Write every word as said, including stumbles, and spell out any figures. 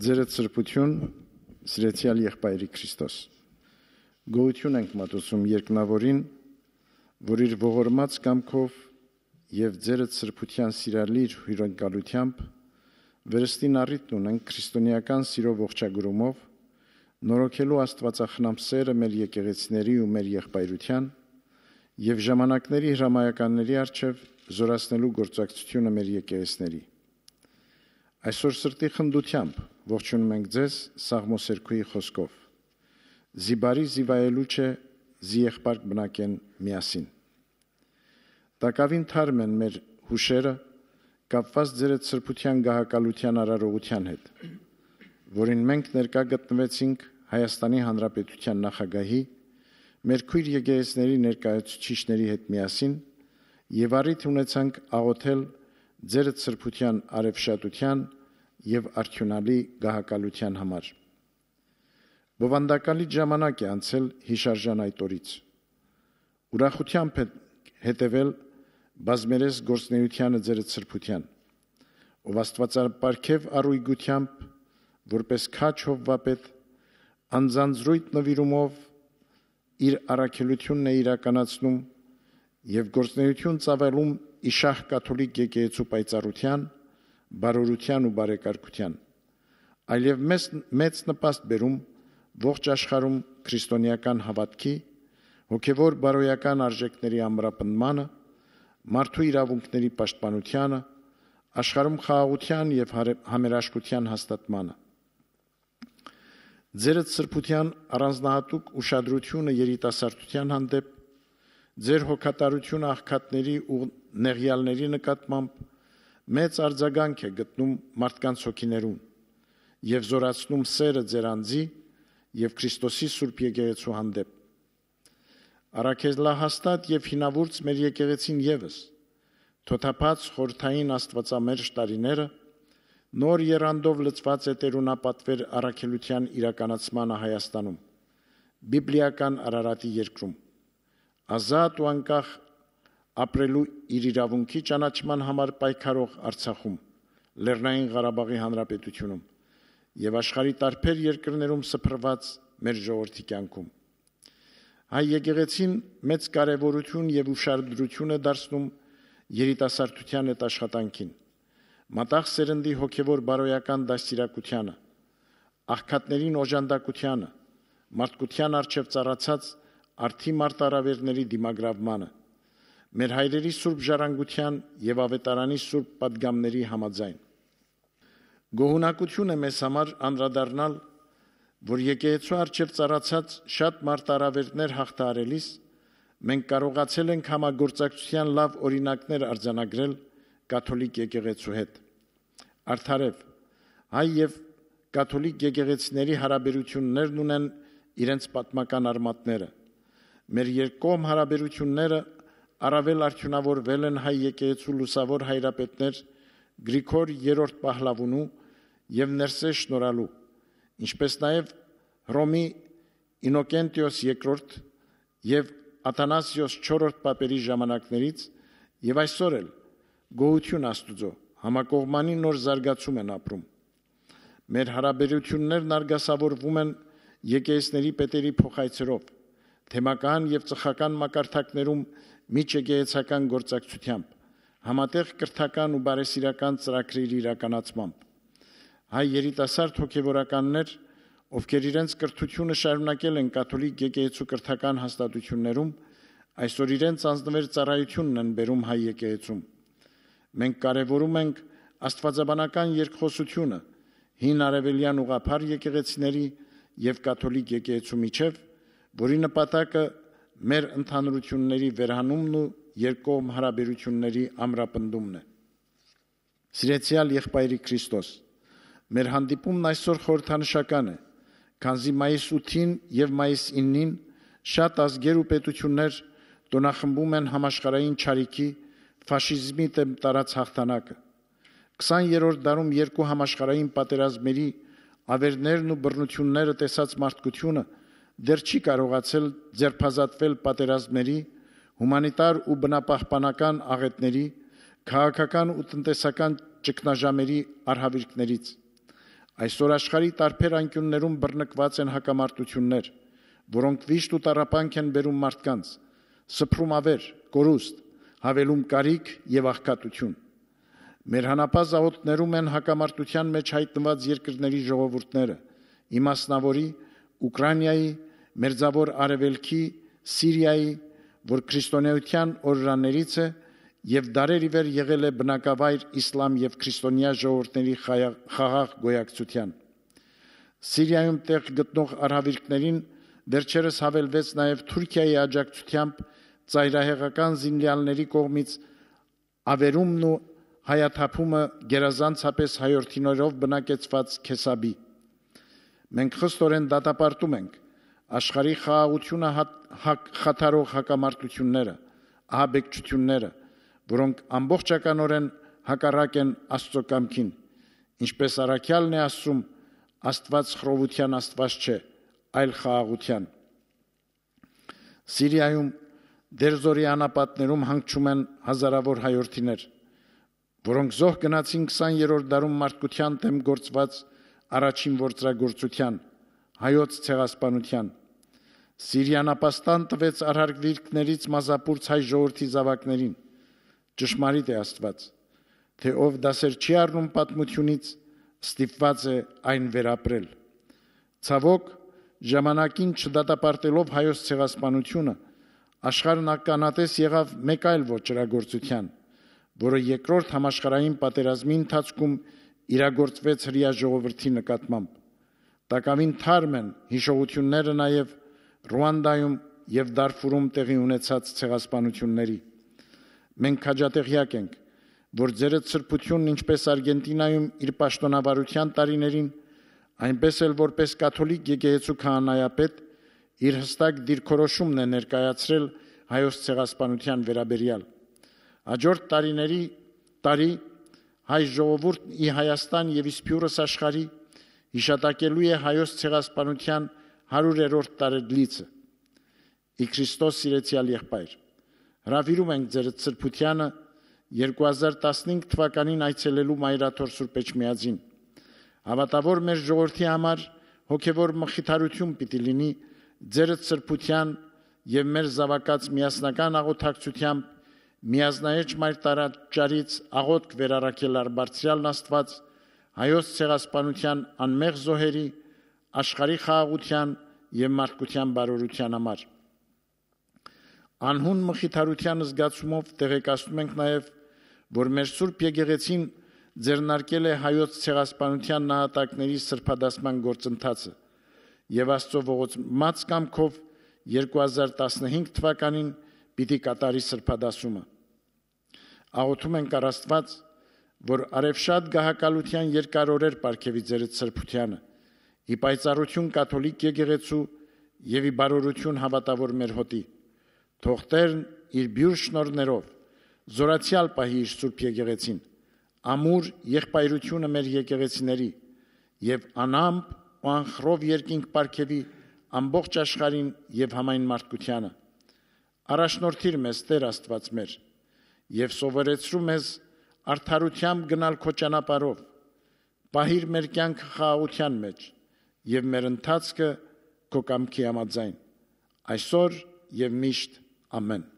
Ձերդ սրբություն, սիրեցեալ եղբայրի Քրիստոս։ Գոհություն ենք մատուցում երկնաւորին, որ իր ողորմած կամքով եւ ձերդ սրբության սիրալիր հիւրընկալությամբ վերստին առիթն ունենք քրիստոնեական սիրով ողջագրումով նորոգելու աստուածախնամ սերը մեր եկեղեցիների ու մեր եղբայրության եւ ժամանակների հրամայականների առջեւ զորացնելու գործակցությունը մեր եկեղեցիների։ Այսօր սրտի խնդությամբ ողջունում ենք ձեզ Սաղմոս երկուի խօսքով. «Զի բարի զի վայելուչ է, զի եղբարք բնակեն միասին»։ Տակաւին թարմ են մեր յուշերը կապուած ձերդ սրբության գահակալութեան արարողութեան հետ, որին մենք ներկայ գտնուեցինք Հայաստանի Հանրապետութեան նախագահի, մեր քոյր եկեղեցիների ներկայացուցիչների հետ միասին եւ առիթ ունեցանք աղօթել ձերդ սրբության արեւշատութեան եւ արդիւնալի գահակալութեան համար։ Բովանդակալի ժամանակ է անցել հիշարժան այդ օրից։ Ուրախությամբ է հետեւել բազմերես գործնեությանը ձերդ սրբության, ով աստուածապարգեւ առույգությամբ, որպէս քաջ հովուապետ, անձանձրոյթ նվիրումով իր առաքելությունն է իրականացնում եւ գործնեություն ծավալում ի շահ կաթոլիկ եկեղեցու պայծառության, բարօրության ու բարեկարգության, այլեւ մեծ, մեծ նպաստ բերում ողջ աշխարհում քրիստոնեական հաւատքի, հոգեւոր բարոյական արժեքների ամրապնդմանը, մարդու իրաւունքների պաշտպանությանը, աշխարհում խաղաղության եւ հարե-, համերաշխության հաստատմանը։ Ձերդ սրբության առանձնահատուկ ուշադրությունը երիտասարդության հանդէպ, ձեր հոգատարությունը աղքատների ու նեղեալների նկատմամբ մեծ արձագանք է գտնում մարդկանց հոգիներուն եւ զորացնում սերը ձեր անձի եւ Քրիստոսի Սուրբ Եկեղեցու հանդէպ։ Առաքելահաստատ եւ հինավուրց մեր եկեղեցին եւս, թոթափած խորհրդային աստուածամերժ տարիները, նոր եռանդով լցուած է տէրունապատվեր առաքելութեան իրականացմանը Հայաստանում, բիբլիական Արարատի երկրում, ազատ ու անկախ ապրելու իր իրաւունքի ճանաչման համար պայքարող Արցախում, Լեռնային Ղարաբաղի Հանրապետությունում եւ աշխարհի տարբեր երկրներում սփռուած մեր ժողովրդի կյանքում։ Հայ եկեղեցին մեծ կարեւորութիւն եւ ուշադրութիւն է դարձնում երիտասարդութեան հետ աշխատանքին, մատաղ սերնդի հոգեւոր բարոյական դաստիարակությանը, աղքատներին օժանդակությանը, մարդկութեան առջեւ ծառացած արդի մարտարավերների դիմագրաւմանը, մեր հայրերի սուրբ ժառանգութեան եւ աւետարանի սուրբ պատգամների համաձայն։ Գոհունակութիւն է մեզ համար անդրադառնալ, որ եկեղեցու առջեւ ծառացած շատ մարտարավերներ յաղթահարելիս մենք կարողացել ենք համագործակցութեան լաւ օրինակներ արձանագրել կաթոլիկ եկեղեցու հետ։ Արդարեւ, հայ եւ կաթոլիկ եկեղեցիների հարաբերութիւններն ունեն իրենց պատմական արմատները։ Մեր երկկողմ հարաբերութիւնները առաւել արդիւնաւորուել են հայ եկեղեցու լուսաւոր հայրապետներ Գրիգոր Երրորդ Պահլավունու եւ Ներսէ Շնորհալու, ինչպէս նաեւ Հռոմի Ինոկենտիոս Երկրորդ եւ Աթանասիոս Չորրորդ պապերի ժամանակներից եւ այսօր էլ, գոհություն Աստուծոյ, համակողմանի նոր զարգացում են ապրում։ Մեր հարաբերութիւններն արգասաւորուում են եկեղեցիների պետերի փոխայցերով, թեմական եւ ծխական մակարդակներում միջեկեղեցական գործակցությամբ, համատեղ կրթական ու բարեսիրական ծրագրերի իրականացմամբ։ Հայ երիտասարդ հոգեւորականներ, ովքեր իրենց կրթութիւնը շարունակել են կաթոլիկ եկեղեցու կրթական հաստատութիւններում, այսօր իրենց անձնուեր ծառայութիւնն են բերում հայ եկեղեցում։ Մենք կարեւորում ենք աստուածաբանական երկխօսութիւնը հին արեւելեան ուղղափառ եկեղեցիների եւ կաթոլիկ եկեղեցու միջեւ, որի նպատակը մեր ընդհանրութիւնների վերհանումն ու երկկողմ հարաբերութիւնների ամրապնդումն է։ Սիրեցեալ եղբայրի Քրիստոս, մեր հանդիպումն այսօր խորհրդանշական է, քանզի մայիս ութին եւ մայիս իննին շատ ազգեր ու պետութիւններ տօնախմբում են համաշխարհային չարիքի, ֆաշիզմի դէմ տարած յաղթանակը։ Քսաներորդ դարում երկու համաշխարհային պատերազմների ավերներն ու բռնութիւնները տեսած մարդկութիւնը դեռ չի կարողացել ձերբազատվել պատերազմների, հումանիտար ու բնապահպանական աղէտների, քաղաքական ու տնտեսական ճգնաժամերի արհաւիրքներից։ Այսօր աշխարհի տարբեր անկիւններուն բռնկուած են հակամարտութիւններ, որոնք վիշտ ու տառապանք են բերում մարդկանց, սփռում աւեր, կորուստ, յաւելում կարիք եւ աղքատութիւն։ Մեր հանապազաւոտներում են հակամարտութեան մէջ յայտնուած երկրների ժողովուրդները, ի մասնաւորի Ուկրաինայի, Մերձաւոր Արեւելքի, Սիրիայի, որ քրիստոնեայութեան օրրաներից է եւ դարեր ի վեր եղել է բնակավայր իսլամ եւ քրիստոնեայ ժողովուրդների խայա-, խաղաղ գոյակցութեան։ Սիրիայում տեղ գտնող արհավիրքներին վերջերս յաւելուեց նաեւ Թուրքիայի աջակցութեամբ ծայրահեղական զինեալների կողմից աւերումն ու հայաթափումը գերազանցապես հայորդիներով բնակեցված Քեսապի։ Մենք խստորեն դատապարտում ենք աշխարհի խաղաղութիւնը հատ-, հակ-, խաթարող հակամարտութիւնները, ահաբեկչութիւնները, որոնք ամբողջականօրէն հակառակ են Աստծո կամքին, ինչպես առաքեալն է ասում. «Աստուած խռովութեան Աստուած չէ, այլ խաղաղութեան»։ Սիրիայում, Դերզորի անապատներում հանգչում են հազարաւոր հայորդիներ, որոնք զոհ գնացին քսաներորդ դարուն մարդկութեան դէմ գործուած առաջին գործրագործութեան, հայոց ցեղասպանութեան։ Սիրիան ապաստան տուեց արհարկ վիրքներից մազապուրծ հայ ժողովրդի զաւակներին։ Ճշմարիտ է Աստուած, թէ ով դասեր չի առնում պատմութիւնից, ստիպուած է այն վերապրել։ Ցաւոք, ժամանակին չդատապարտելով հայոց ցեղասպանութիւնը, աշխարհն ականատես եղաւ մէկ այլ ոճրագործութեան, որը երկրորդ համաշխարհային պատերազմի ընթացքում իրագործուեց հրեայ ժողովրդի նկատմամբ։ Տակաւին թարմ են յիշողութիւնները նաեւ Ռուանդայում եւ Դարֆուրում տեղի ունեցած ցեղասպանութիւնների։ Մենք քաջատեղեակ ենք, որ Ձերդ Սրբութիւնն, ինչպես Արգենտինայում իր պաշտօնավարութեան տարիներին, այնպես էլ որպես կաթոլիկ եկեղեցու քահանայապետ, իր յստակ դիրքորոշումն է ներկայացրել հայոց ցեղասպանութեան վերաբերեալ։ Յաջորդ տարիների, տարի հայ ժողովուրդն ի Հայաստան եւ Իսպիուրս աշխարհի յիշատակելու է հայոց ցեղասպանութեան հարիւրերորդ տարեդլիցը։ Ի Քրիստոս սիրեցեալ եղբայր, հրաւիրում ենք Ձերդ Սրբութեանը երկու հազար տասնհինգ թվականին այցելելու Մայրաթոր Սուրբ Էջմիածին։ Հաւատաւոր մեր ժողովրդի համար հոգեւոր մխիթարութիւն պիտի լինի Ձերդ Սրբութեան եւ մեր զաւակաց միասնական աղօթակցութեամբ միազնայէջ Մայր Տառաճարից աղօթք վերառաքել առ Բարձրեալն Աստուած, հայոց ցեղասպանութեան անմեղ զոհերի, աշխարհի խաղաղութեան եւ մարդկութեան բարօրութեան համար։ Անհուն մխիթարութեան զգացումով տեղեկացնում ենք նաեւ, որ մեր Սուրբ Եկեղեցին ձեռնարկել է հայոց ցեղասպանութեան նահատակների սրբադասման գործընթացը եւ Աստծո ողորմած կամքով երկու հազար տասնհինգ թվականին պիտի կատարի սրբադասումը։ Աղօթում ենք առ Աստուած, որ արեւշատ գահակալութեան երկար օրեր պարգեւի Ձերդ Սրբութեանը, ի պայծառութիւն կաթոլիկ եկեղեցու եւ ի բարօրութիւն հաւատաւոր մեր հօտի։ Թող Տերն իր բիւր շնորհներով զորացեալ պահի իր Սուրբ Եկեղեցին, ամուր եղբայրութիւնը մեր եկեղեցիների եւ անամպ ու անխռով երկինք պարգեւի ամբողջ աշխարհին եւ համայն մարդկությանը։ Առաջնորդիր մեզ, Տեր Աստուած մեր, եւ սովորեցրու մեզ արդարութեամբ գնալ քո ճանապարհով։ Պահիր մեր կյանքը խաղաղութեան մեջ եւ մեր ընթացքը քո կամքի համաձայն, այսօր եւ միշտ։ Ամեն։